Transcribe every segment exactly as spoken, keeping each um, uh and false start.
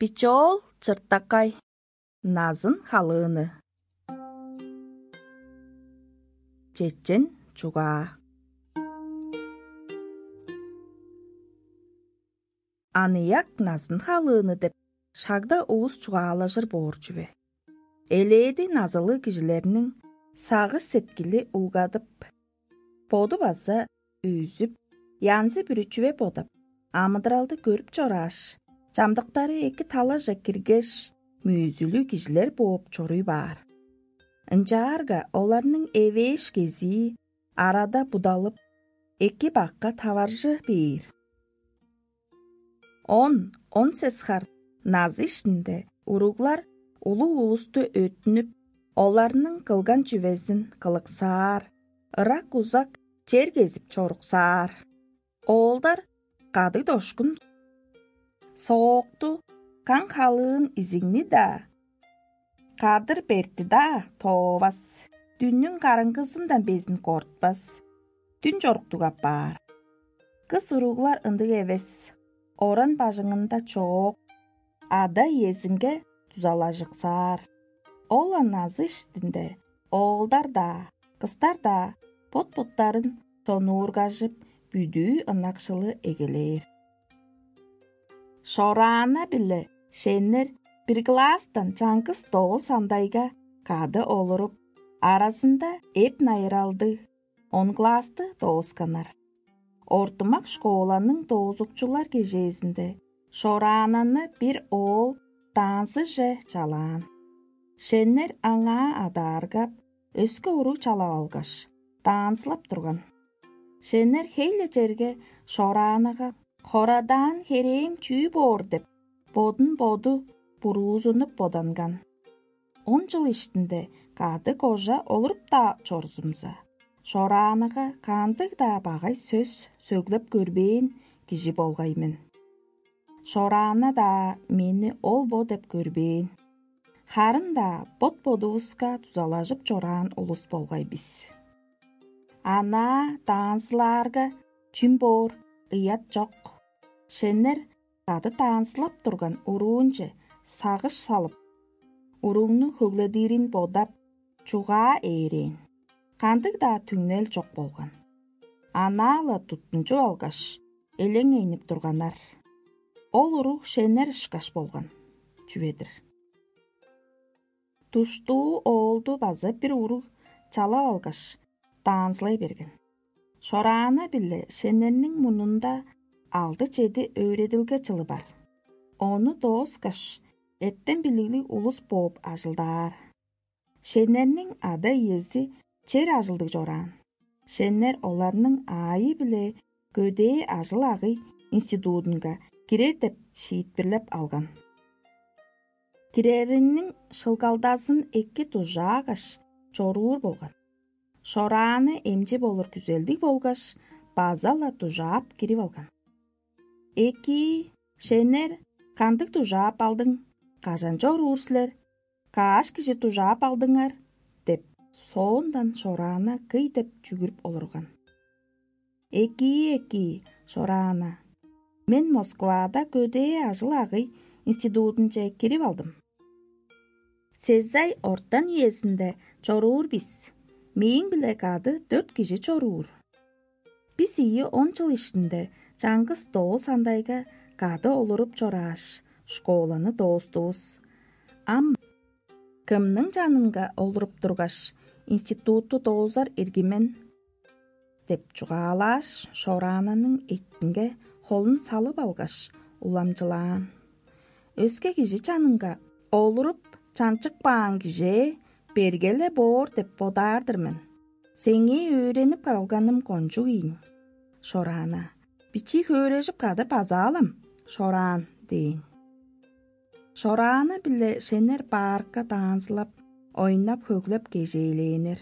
Бичоол чыртакай. Назын халыыны. Чечен чугаа. Аныяк назын халыыны деп шагда улус чугаалажыр боор чүве. Элээди назылыг кижилерниң сагыш-сеткили улгадып, боду база үзүп, янзы-бүрү чүве бодап, амыдыралды көрүп чорааш, чамдыктары эки талаже киргеш, мүйзүлүг кижилер бооп чоруй баар. Ынчаарга оларның эвээш кезии арада будалып, эки бакка таваржы бээр. Он, он сес хар назы иштинде уруглар улуг улусту өттүнүп, оларның кылган чүвезин кылыксаар, ырак-узак чер кезип чоруксаар. Оолдар кадыг-дошкун, соокту, каң халыын изигни-даа, кадыр-бертти-даа тоовас, дүннүң караңгызындан безин кортпас, дүн чоруктуг апаар. Кыс уруглар ындыг эвес, оран бажыңында чоок, ада-иезинге дузалажыксаар. Ол-ла назы иштинде оолдар-даа, кыстар-даа бот-боттарын сонуургажып, бүдүү ынакшылы эгелээр. Шораана-биле Шеннер бир класстан чаңгыс доол сандайга кады олуруп, аразында эп-найыралдыг он классты доосканнар. Ортумак школаның доозукчулар кежээзинде Шораананы бир оол танцыже чалаан. Шеннер аңаа адааргап, өске уруг чалап алгаш, танцылап турган. Шеннер хей-ле черге Шораанага: «Хорадаан херээм чүү боор?» — деп, бодун-боду буруузунуп боданган. Он чыл иштинде кады кожа олуруп-даа чорзумза, Шораанага кандыг-даа багай сөс сөглеп көрбээн кижи болгай мен. Шораана-даа мени ол-бо деп көрбээн. Харын-даа бот-бодувуска дузалажып чораан улус болгай бис. Анаа танцылаарга чүм боор, ыят чок. Шеннер кады танцылап турган уруунче сагыш салып, уругну хөгледирин бодап, чугаа ээрээн. Кандыг-даа түңнел чок болган. Анаа-ла туттунчуп алгаш, элеңейнип турганнар. Ол уруг Шеннер ышкаш болган чүве-дир. Душтуу оолду база бир уруг чалап алгаш, танцылай берген. Шораана-биле Шеннерниң мурнунда алды-чеди өөредилге чылы бар. Ону дооскаш, эртем-билиглиг улус бооп ажылдаар. Шеннерниң ада-иези чер ажылдыг чораан. Шеннер оларның аайы-биле көдээ ажыл-агый институдунга кирер деп шиитпирлеп алган. Киреринниң шылгалдазын эки дужаагаш, чоруур болган. Шорааны эмчи болур күзелдиг болгаш, база-ла дужаап кирип алган. «Эки, Шеннер, кандыг дужаап алдың? Кажан чоруур силер? Каш кижи дужаап алдыңар?» — деп, соондан Шораана кый деп чүгүрүп олурган. «Эки, эки, Шораана, мен Москвада көдээ ажыл-агый институдунче кирип алдым. Сезай ортан үезинде чоруур бис. Мээң-биле кады дөрт кижи чоруур. Бис ийи он чыл иштинде чаңгыс доол сандайга кады олуруп чорааш, школаны доостувус. Ам кымның чанынга олуруп тургаш, институтту доозар ирги мен?» — деп чугаалааш, Шораананың эттинге холун салып алгаш, уламчылаан. «Өске кижи чанынга олуруп чанчыкпаан кижээ берге-ле боор деп бодаар-дыр мен. Сеңээ өөренип калганым кончуг ийин, Шораана. Бичии хөөрежип кады базаалам, Шораан», — дээн. Шораана-биле Шеннер баарка даанзылап, ойнап-хөглеп кежээлээннер.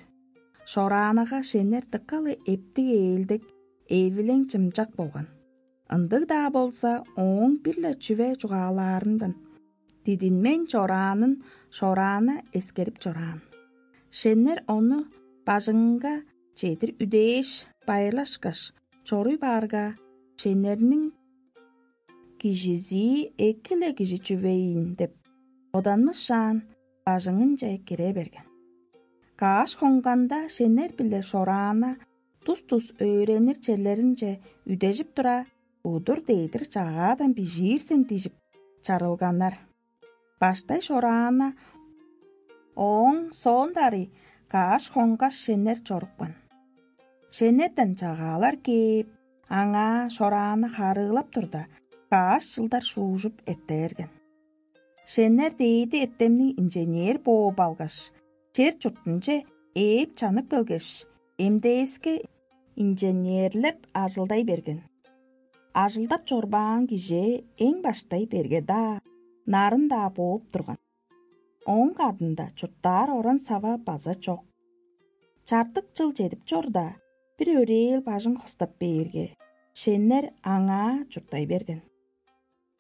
Шораанага Шеннер дыка-ла эптиг-ээлдек, эвилең-чымчак болган. Ындыг-даа болза, ооң бир-ле чүве чугаалаарындан дидинмейн чораанын Шораана эскерип чораан. Шеннер ону бажыңынга чедир үдээш, байырлашкаш, чоруй баарга, Шеннерниң кижизии эки-ле кижи чүвейн деп боданмышаан, бажыңынче кире берген. Каш хонганда шенер биле шораана тус-тус өөренир черлеринче үдежип тура, удур дээдир чагаадан бижиир сен дижип чарылганнар. Баштай шораана, ооң соонда ырый каш хонгаш шенер чорупкан. Шенерден чагаалар кээп, аңаа шорааны харыылап турда, каш чылдар шуужуп эртээрген. Шенер дээди эртемниң инженер бооп алгаш, чер-чуртунче ээп чанып келгеш, МДС-ке инженерлеп ажылдай берген. Ажылдап чорбаан кижи эң баштай берге-даа, нарын-даа бооп турган. Ооң кадында чурттаар оран-сава база чок. Чартык чыл чедип чорда, бир өрээл бажың хостап бээрге, шеннер аңаа чурттай берген.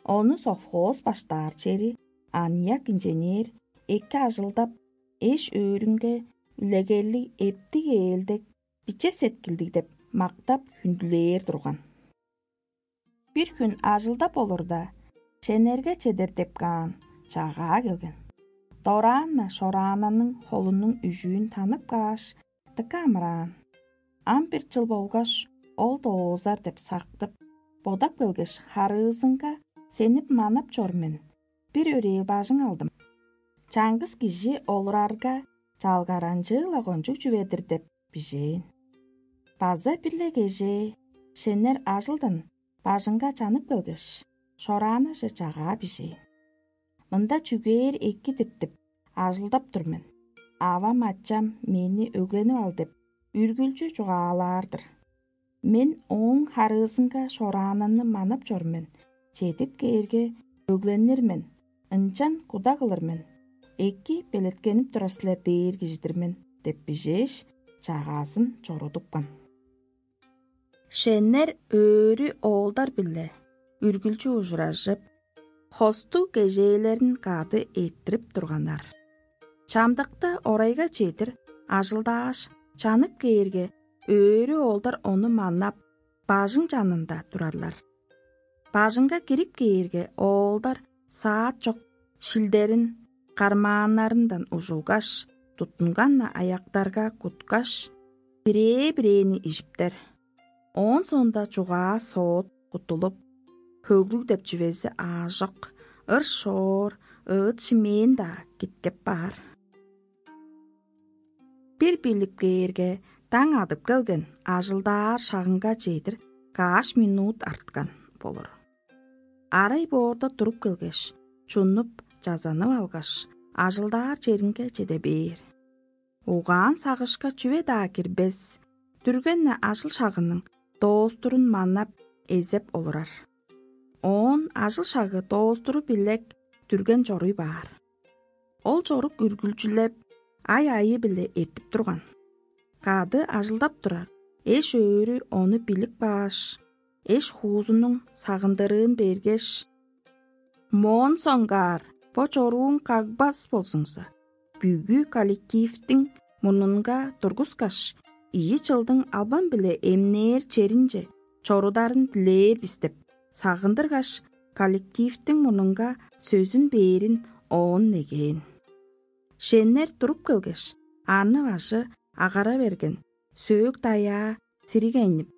Ону совхоз баштаар чери аныяк инженер эки ажылдап, эш-өөрүнге үлегерлиг эптиг ээлдек, биче сеткилдиг деп мактап хүндүлээр турган. Бир хүн ажылдап олурда, шенерге чедер деп каан чагаа келген. Дораан-на шораананың холунуң үжүүн танып кааш, дыка амыраан. Ам бир чыл болгаш, ол доозар деп сактып, бодап келгеш, харыызынга сенип манап чор мен. Бир өрээл бажың алдым. Чаңгыс кижи олурарга, чалгаранчыы-ла кончуг чүве-дир деп бижээн. База бир-ле кежээ шеннер ажылдан бажыңга чанып келгеш, шораанаже чагаа бижээн. Мында чүгээр эки-дир деп ажылдап тур мен. Авам-ачам мени өгленип ал деп үргүлчү чугаалаар-дыр. Мен ооң харыызынга шораананы манап чор мен, чедип кээрге, өгленир мен, ынчан куда кылыр мен, эки белеткенип турар силер дээр кижи-дир мен деп бижээш, чагаазын чорудупкан. Шеннер өөрү оолдар-биле үргүлчү ужуражып, хостуг кежээлерин кады эрттирип турганнар. Чамдыкта орайга чедир ажылдааш, чанып кээрге, өөрү оолдар ону маннап, бажың чанында турарлар. Бажыңга кирип кээрге, оолдар саат чок шилдерин кармааннарындан ужулгаш, туттунган-на аяктарга куткаш, бирээ-бирээни ижиптер. Оон соонда чугаа соот куттулуп, хөглүг деп чүвези аажок, ыр-шоор, ыыт-шимээн-даа киткеп баар. Бир билип кээрге, даң адып келген, ажылдаар шагынга чедир каш минут арткан болур. Арай боорда туруп келгеш, чунуп, чазанып алгаш, ажылдаар черинге чеде бээр. Угаан-сагышка чүве-даа кирбес, дүрген-не ажыл-шагының доостурун манап, эзеп олурар. Оон ажыл-шагы доостуру билек дүрген чоруй баар. Ол чорук үргүлчүлеп, ай-айы-биле эртип турган. Кады ажылдап турар эш-өөрү ону билип кааш, эш-хуузунуң сагындырыын бергеш: «Моон соңгаар бо чорууң кагбас болзуңза, бүгү коллективтиң мурнунга тургускаш, ийи чылдың албан-биле эмнээр черинче чорударын дилээр бис» деп сагындыргаш, коллективтиң мурнунга сөзүн бээрин оон негээн. Шеннер туруп келгеш, арны-бажы агара берген, сөөк-даяа сиригейнип,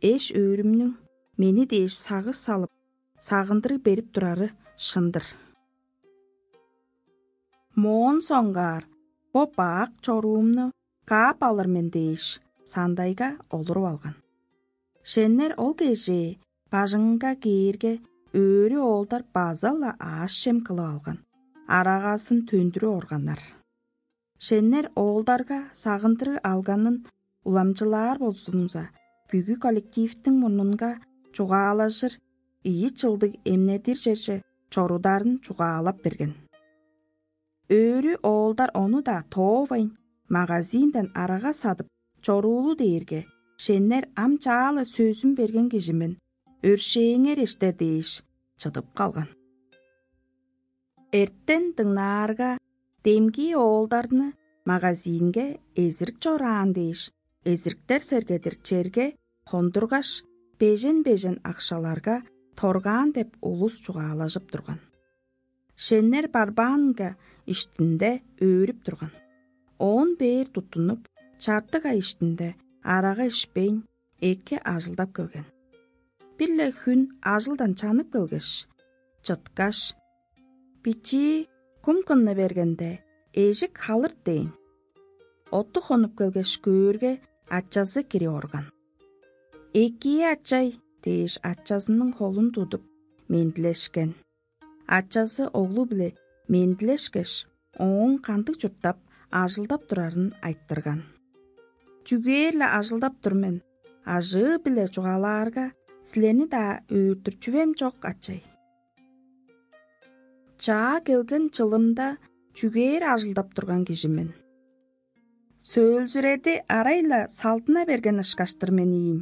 эш-өөрүмнүң мени дээш сагыш салып, сагындырыг берип турары шын-дыр. Моон соңгаар бо бак чоруумну каап алыр мен дээш, сандайга олуруп алган. Шеннер ол кежээ бажыңынга кээрге, өөрү оолдар база-ла аъш-чем кылып алган, арагазын төндүрүп органнар. Шеннер оолдарга сагындырыг алганын уламчылаар болзуңза, бүгү коллективтиң мурнунга чугаалажыр ийи чылдыг эмнедир черже чорударын чугаалап берген. Өөрү оолдар ону-даа тоовайн, магазинден арага садып чоруулу дээрге, шеннер ам чаа-ла сөзүн берген кижи мен, өршээңер эштер дээш, чыдып калган. Эртен дыңнаарга, демги оолдарны магазинге эзирик чораан дээш, эзириктер сергедир черге хондургаш, бежен-бежен акшаларга торгаан деп улус чугаалажып турган. Шеннер барбаанга иштинде өөрүп турган. Оон бээр туттунуп, чартык ай иштинде арага ишпейн, эки ажылдап келген. Бир-ле хүн ажылдан чанып келгеш, чыткаш: «Бичии кум кынны бергенде, эжик халырт» – дээн. Отту хонуп келгеш көөрге, ачазы кирип орган. «Экии, ачай» – дээш, ачазының холун тудуп, мендилешкен. Ачазы оглу-биле мендилешкеш, ооң кандыг чурттап, ажылдап турарын айтырган. «Чүгээр-ле ажылдап тур мен, ажыы-биле чугаалаарга, силерни-даа өөртүр чүвем чок, ачай. Чаа келген чылымда чүгээр ажылдап турган кижи мен. Сөөлзүреди арай-ла салдына берген ышкаш-тыр мен ийин.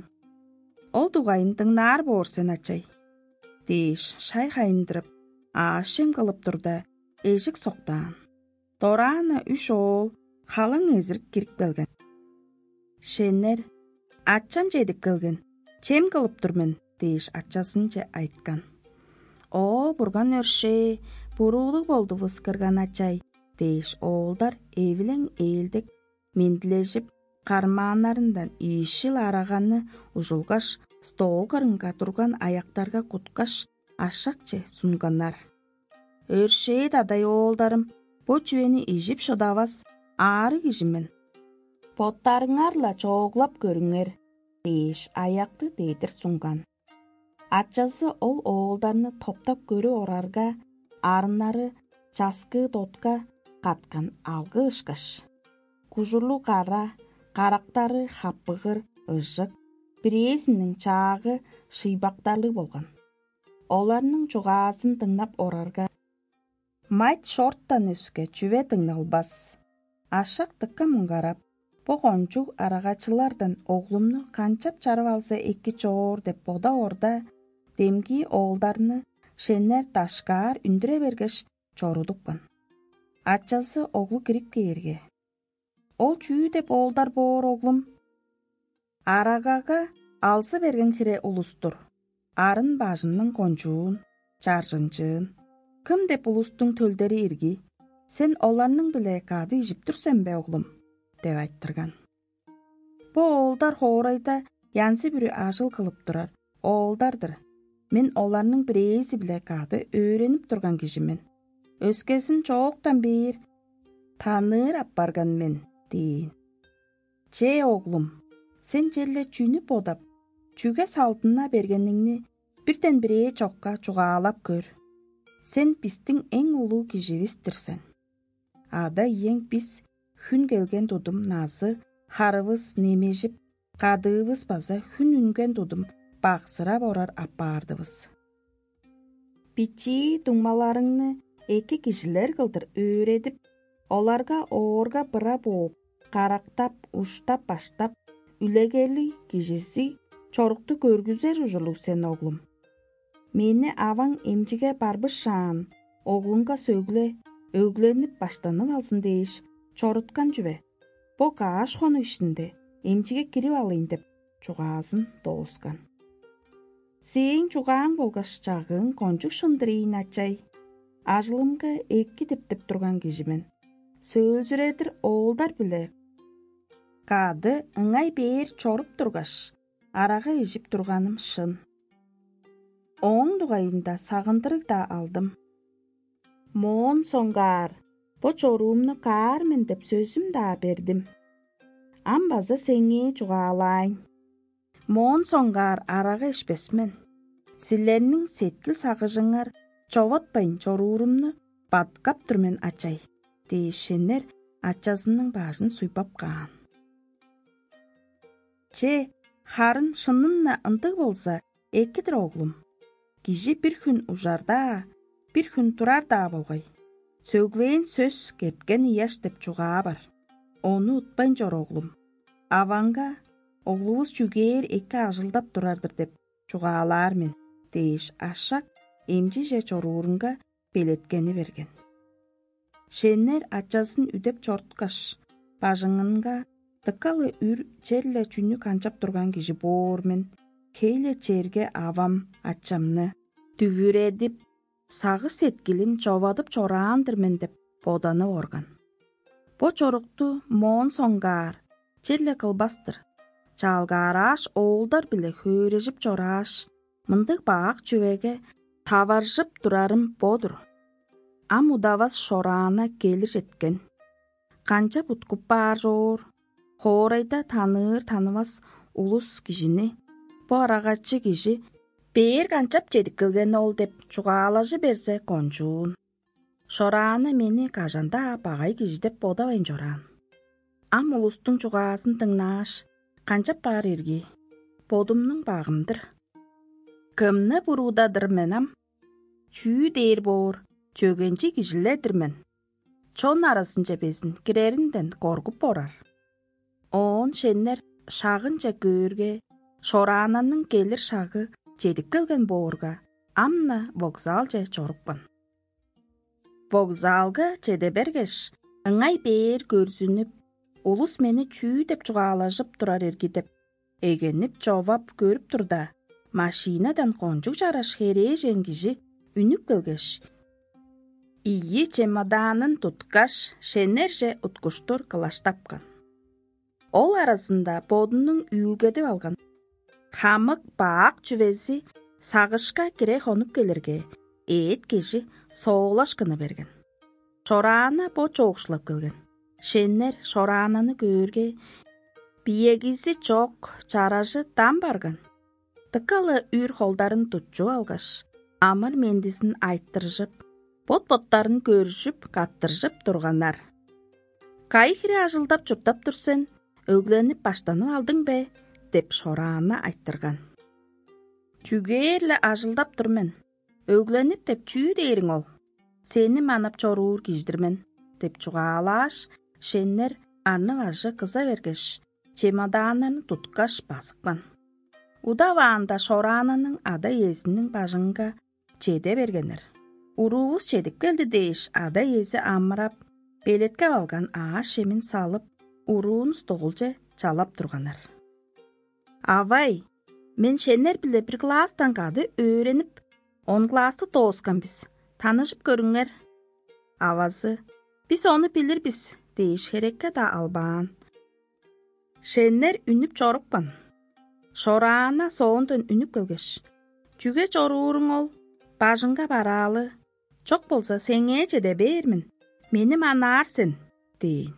Ол дугайын дыңнаар боор сен, ачай» – дээш, шай хайындырып, аъш-чем кылып турда, эжик соктаан. Дораан-на үш оол халаң эзирип кирип келген. Шеннер: «Ачам чедип келген, чем кылып тур мен» – дээш, ачазынче айткан. «О, Бурган өршээ, буруулуг болдувус, кырган ачай» – дээш, оолдар эвилең-ээлдек мендилежип, кармааннарындан ийишил араганы ужулгаш, стол кырынга турган аяктарга куткаш, ашакче сунганнар. «Өршээ-дадай, оолдарым, бо чүвени ижип шыдавас аарыг кижи мен. Боттарыңар-ла чооглап көрүңер» – дээш, аякты дедир сунган. Ачазы ол оолдарны топтап көрүп орарга, арыннары часкыы дотка каткан алгы ышкаш, кужурлуг кара, карактары хаппыгыр, ыжык, бирээзиниң чаагы шыйбактарлыг болган. Оларның чугаазын дыңнап орарга, мать шорттан өске чүве дыңналбас. Ашак дыка муңгарап: «Бо кончуг арагачылардан оглумну канчап чарып алза эки чоор» – деп бодаорда, демги оолдарны шеннер дашкаар үндүре бергеш, чорудупкан. Ачазы оглу кирип кээрге: «Ол чүү деп оолдар боор, оглум? Арагага алзы берген хире улус-тур, арын бажының кончуун, чаржынчыын. Кым деп улустуң төлдери ирги? Сен оларның-биле кады ижип тур сен бе, оглум?» – деп айтырган. «Бо оолдар хоорайда янзы-бүрү ажыл кылып турар оолдар-дыр. Мен оларның бирээзи-биле кады өөренип турган кижи мен. Өскезин чооктан бээр таныыр апарган мен» – дээн. «Че, оглум, сен черле чүнү бодап, чүге салдына бергениңни бирден бирээ чокка чугаалап көр. Сен бистиң эң улуг киживис-тир сен. Ада-иең бис хүн келген тудум назы, харывыс немежип, кадыывыс база хүн үнген тудум баксырап орар апаардывыс. Бичии дуңмаларыңны эки кижилер кылдыр өөредип, оларга оорга-быра бооп, карактап, уштап-баштап, үлегерлиг кижизи чорукту көргүзер ужурлуг сен, оглум. Мени аваң эмчиге барбышаан, оглуңга сөгле, өгленип, баштанып алзын дээш чоруткан чүве. Бо каш хонук иштинде эмчиге кирип алыйн» – деп чугаазын дооскан. «Сээң чугааң болгаш чагыың кончуг шын-дыр ийин, ачай. Ажылымга эки диптип турган кижи мен. Сөөлзүредир оолдар-биле кады ыңай бээр чоруп тургаш, арага ижип турганым шын. Ооң дугайында сагындырыг-даа алдым. Моон соңгаар бо чоруумну каар мен деп сөзүм-даа бердим. Ам база сеңээ чугаалаайн. Моон соңгаар арага ишпес мен. Силерниң сеткил-сагыжыңар човатпайн чоруурумну бадыткап тур мен, ачай» – дээш, шеннер ачазының бажын суйбап каан. «Че, харын шынын-на ындыг болза, эки-дир, оглум. Кижи бир хүн ужар-даа, бир хүн турар-даа болгай. Сөглээн сөс кеткен ыяш деп чугаа бар. Ону утпайн чор, оглум. Аваңга: „Оглувус чүгээр эки ажылдап турар-дыр“ – деп чугаалаар мен“ – дээш, ашак эмчиже чоруурунга белеткени берген. Шеннер ачазын үдеп чоруткаш, бажыңынга: „Дыка-ла үр черле чүнү канчап турган кижи боор мен, хей-ле черге авам, ачамны, дүвүредип, сагыш-сеткилин човадып чораан-дыр мен деп боданып орган. Бо чорукту моон соңгаар черле кылбас-тыр. Чаалгаарааш, оолдар-биле хөөрежип чорааш, мындыг бак чүвеге таваржып турарым бо-дур. Ам удавас Шораана келир четкен. Канчап уткуп баар чоор? Хоорайда таныыр-танывас улус кижини бо арагачы кижи бээр канчап чедип келген ол деп чугаалажы берзе кончуун. Шораана мени кажан-даа багай кижи деп бодавайн чораан. Ам улустуң чугаазын дыңнааш, канчап баар ирги? Бодумнуң багым-дыр. Кымны буруудадыр мен ам? Чүү дээр боор, чөгенчи кижилер-дир мен. Чон аразынче безин киреринден коргуп орар. Оон шеннер шагынче көөрге, Шораананың келир шагы чедип келген боорга, ам-на вокзалче чорупкан. Вокзалга чеде бергеш, ыңай бээр көрзүнүп, улус мени чүү деп чугаалажып турар ирги деп, эгенип човап көрүп турда, машинадан кончуг чараш херээжен кижи үнүп келгеш, ийи чемоданын туткаш, шеннерже уткуштур кылаштапкан. Ол аразында бодунуң үүлгедип алган хамык бак чүвези сагышка кире хонуп келирге, эът кижи соолашкыны берген. Шораана бо чоокшулап келген. Шеннер Шораананы көөрге, биегизи чок, чаражы дам барган. Дыка-ла үр холдарын тутчуп алгаш, амыр-мендизин айтыржып, бот-боттарын көржүп, каттыржып турганнар. «Кайы хире ажылдап-чурттап тур сен? Өгленип баштанып алдың бе?» — деп Шораана айтырган. «Чүгээр-ле ажылдап тур мен. Өгленип деп чүү дээриң ол? Сени манап чоруур кижи-дир мен» — деп чугаалааш, шеннер арны-бажы кыза бергеш, чемоданнарын туткаш базыпкан. Удаваанда Шораананың ада-иезиниң бажыңынга чеде бергеннер. Уруувус чедип келди дээш, ада-иези амырап, белеткеп алган аъш-чемин салып, уруун столче чалап турганнар. «Авай, мен шеннер-биле бир класстан кады өөренип, он классты дооскан бис. Таныжып көрүңер». Авазы: «Бис ону билир бис» — дээш, херекке-даа албаан. Шеннер үнүп чорупкан. Шораана соондан үнүп келгеш: «Чүге чорууруң ол? Бажыңга бараалы. Чок болза, сеңээ чеде бээр мен. Мени манаар сен» — дээн.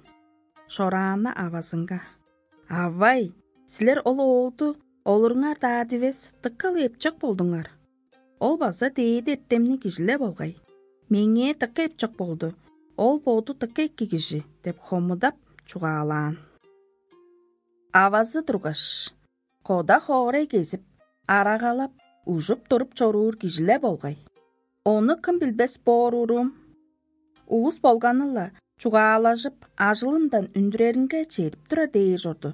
Шораана авазынга: «Авай, силер ол оолду олуруңар-даа дивес, дыка-ла эпчок болдуңар. Ол база дээди эртемниг кижи-ле болгай. Меңээ дыка эпчок болду, ол боду дыка эки кижи» — деп хомудап чугаалаан. Авазы тургаш: «Кода хоорай кезип, арагалап, ужуп туруп чоруур кижи-ле болгай. Ону кым билбес боор уруум? Улус болганы-ла чугаалажып, ажылындан үндүреринге чедип турар дээр чорду.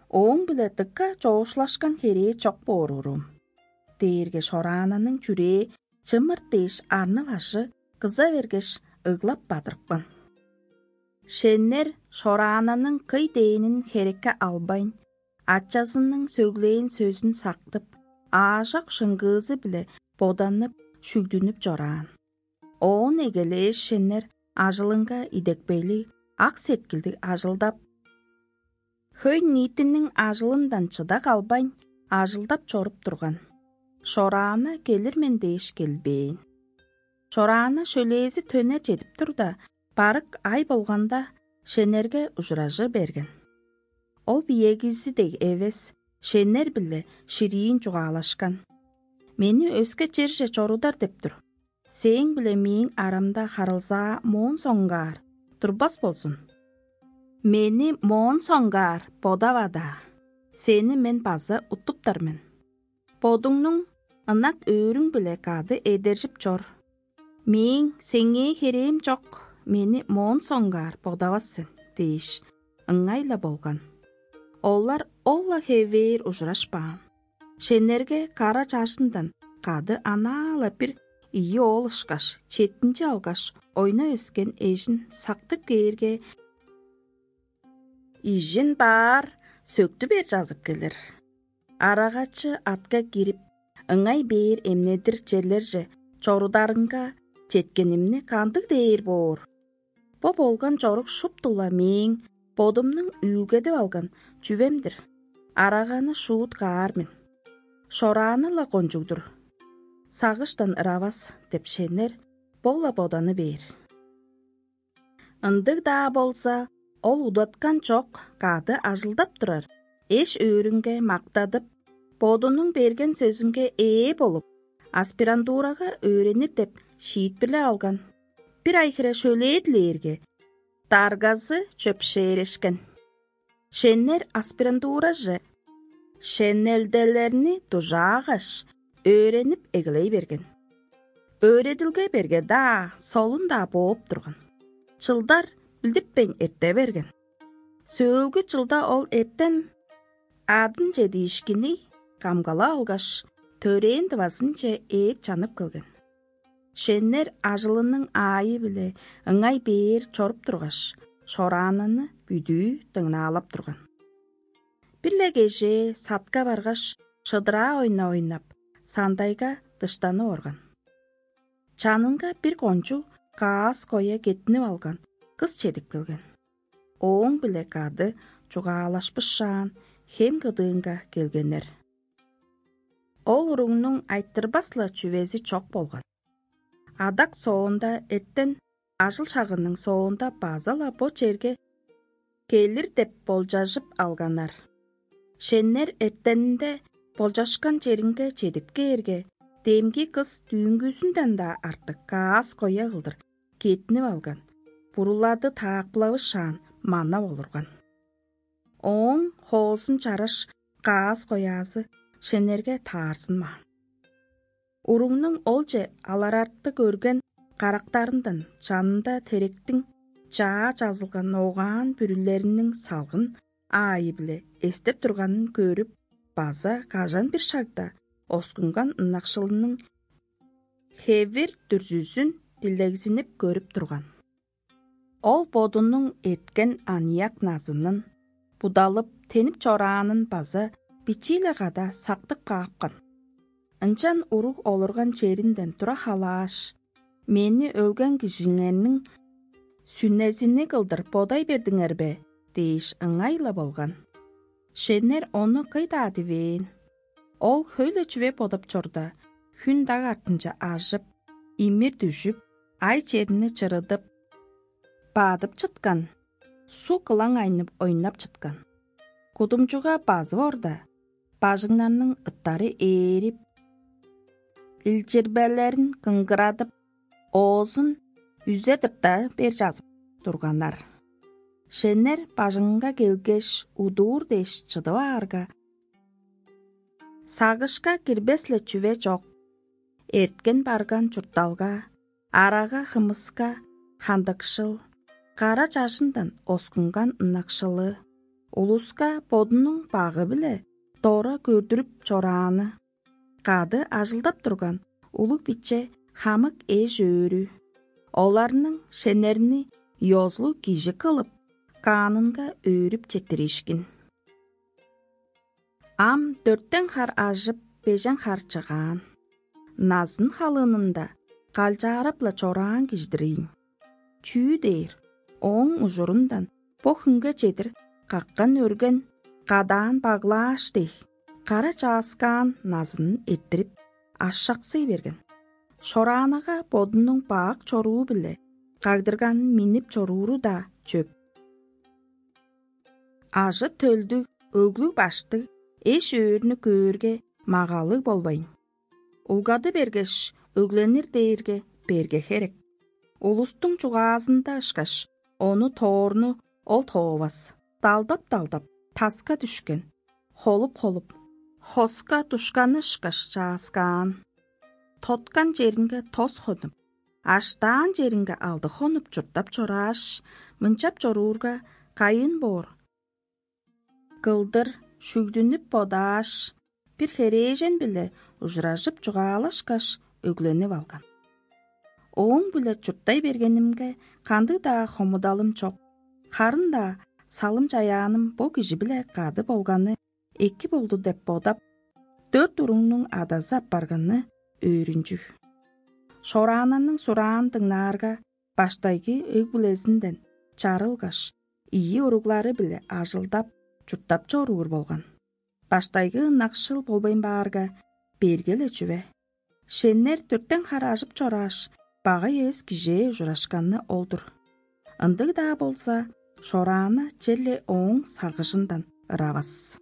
Ооң-биле дыка чоокшулашкан херээ чок боор уруум» — дээрге, Шораананың чүрээ чымырт дээш, арны-бажы кыза бергеш, ыглап бадырыпкан. Шеннер Шораананың кый дээнин херекке албайн, ачазының сөглээн сөзүн сактып, аажок шыңгыызы-биле боданып, шүгдүнүп чораан. Оон эгелээш, шеннер ажылынга идепкейлиг, ак сеткилдиг ажылдап, хөй-ниитиниң ажылындан чыда калбайн, ажылдап чоруп турган. Шораана келир мен дээш келбээн. Шораана шөлээзи төнер чедип турда, барык ай болганда, шеннерге ужуражы берген. Ол биегизи дег эвес, шеннер-биле шириин чугаалашкан: «Мени өске черже чорудар деп тур. Сээң-биле мээң арамда харылзаа моон соңгаар турбас болзун. Мени моон соңгаар бодава-даа, сени мен база уттуптар мен. Бодуңнуң ынак өөрүң-биле кады эдержип чор. Мээң сеңээ херээм чок, мени моон соңгаар бодавас сен» — дээш, ыңай-ла болган. Олар ол-ла хевээр ужурашпаан. Шеннерге кара чажындан кады анаа-ла бир ийи оол ышкаш, четтинчи алгаш, ойнап өскен эжин сактып кээрге, ижин баар сөктү бер чазып келир. Арагачы атка кирип, ыңай бээр эмнедир черлерже чорударынга четкенимни кандыг дээр боор? Бо болган чорук шуптула мээң бодумнуң үүлгедип алган чүвем-дир. Араганы шуут каар мен. Шорааны-ла кончуг-дур. Сагыштан ыравас деп шеннер бо-ла боданы бээр. Ындыг-даа болза, ол удаткан чок кады ажылдап турар эш-өөрүнге мактадып, бодунуң берген сөзүнге ээ болуп, аспирантурага өөренир деп шиитпирлеп алган. Бир ай хире шөлээ дилээрге, даргазы чөпшээрешкен. Шеннер аспирантураже шенелделерни дужаагаш, өөренип эгелей берген. Өөредилге берге-даа, солун-даа бооп турган. Чылдар билдиппейн эрте берген. Сөөлгү чылда ол эртен адынче диишкинни камгалап алгаш, төрээн дывазынче ээп чанып келген. Шеннер ажылының аайы-биле ыңай бээр чоруп тургаш, шораананы бүдүү дыңнаалап турган. Бир-ле кежээ садка баргаш, шыдыраа ойна ойнап, сандайга дыштанып орган. Чанынга бир кончуг каас коя кеттинип алган кыс чедип келген. Ооң-биле кады чугаалашпышаан, хем кыдыынга келгеннер. Ол уругнуң айтырбас-ла чүвези чок болган. Адак соонда эртен ажыл шагының соонда база-ла бо черге келир деп болчажып алганнар. Шеннер эртенинде болчашкан черинге чедип кээрге, демги кыс дүүнгүзүнден-даа артык каас коя кылдыр кеттинип алган, бурулады таакпылавышаан манап олурган. Ооң хоозун чараш каас кояазы шеннерге таарзынмаан. Уругнуң олче аларартыг өрген карактарындан чанында теректиң чаа чазылган огаан бүрүлериниң салгын аайы-биле эстеп турганын көрүп, база кажан бир шагда оскунган ынакшылының хевир дүрзүзүн дилегзинип көрүп турган. Ол бодунуң эрткен аныяк назынын, будалып, тенип чораанын база бичии-ле када сактып каапкан. Ынчан уруг олурган черинден тура халааш: «Мени өлген кижиңерниң сүнезини кылдыр бодай бердиңер бе?» – дээш, ыңай-ла болган. Шеннер ону кый-даа дивээн. Ол хөй-ле чүве бодап чорда, хүн даг артынче ажып, имир дүжүп, ай черни чырыдып, бадып чыткан, суг кылаң айнып ойнап чыткан. Кудумчуга базып орда, бажыңнарның ыттары ээрип, илчирбелерин кыңгырадып, оозун үзе-дырта бер чазып турганнар. Шеннер бажыңынга келгеш, удуур дээш чыдып аарга, сагышка кирбес-ле чүве чок. Эрткен-барган чуртталга, арага-хымыска хандыкшыл, кара чажындан оскунган ынакшылы, улуска бодунуң багы-биле дора көрдүрүп чорааны, кады ажылдап турган улуг-биче хамык эш-өөрү, оларның шеннерни ёзулуг кижи кылып, каанынга өөрүп четтириишкин. Ам дөртен хар ажып, бежен хар чыгаан. Назын халыынында калчаарап-ла чораан кижи-дир ийин. Чүү дээр, ооң ужурундан бо хүнге чедир каккан-өрген кадаан баглааш дег, кара чааскаан назынын эрттирип, ашаксый берген. Шораанага бодунуң бак чоруу-биле кагдырганын миннип чорууру-даа чөп. Ажы-төлдүг, өглүг-баштыг эш-өөрүнү көөрге, магалыг болбайн, улгады бергеш, өгленир дээрге берге херек. Улустуң чугаазында ышкаш, ону тоорну ол тоовас, далдап-далдап, таска дүшкен, холуп-холуп, хоска душканы ышкаш чааскаан. Тоткан черинге тос хонуп, аштаан черинге алды хонуп чурттап чорааш, мынчап чоруурга, кайын боор кылдыр шүгдүнүп бодааш, бир херээжен-биле ужуражып чугаалашкаш, өгленип алган. Ооң-биле чурттай бергенимге, кандыг-даа хомудалым чок, харын-даа салым-чаяаным бо кижи-биле кады болганы эки болду деп бодап, Дөрт уруңнуң адазы апарганы өөрүнчүг. Шораананның сураан дыңнаарга, баштайгы өг-бүлезинден чарылгаш, ийи уруглары-биле ажылдап, чурттап чоруур болган. Баштайгы ынакшыл болбайн баарга, берге-ле чүве. Шеннер дөртен хар ажып чорааш, багай эвес кижээ ужурашканы ол-дур. Ындыг-даа болза, шорааны черле ооң сагыжындан ыравас.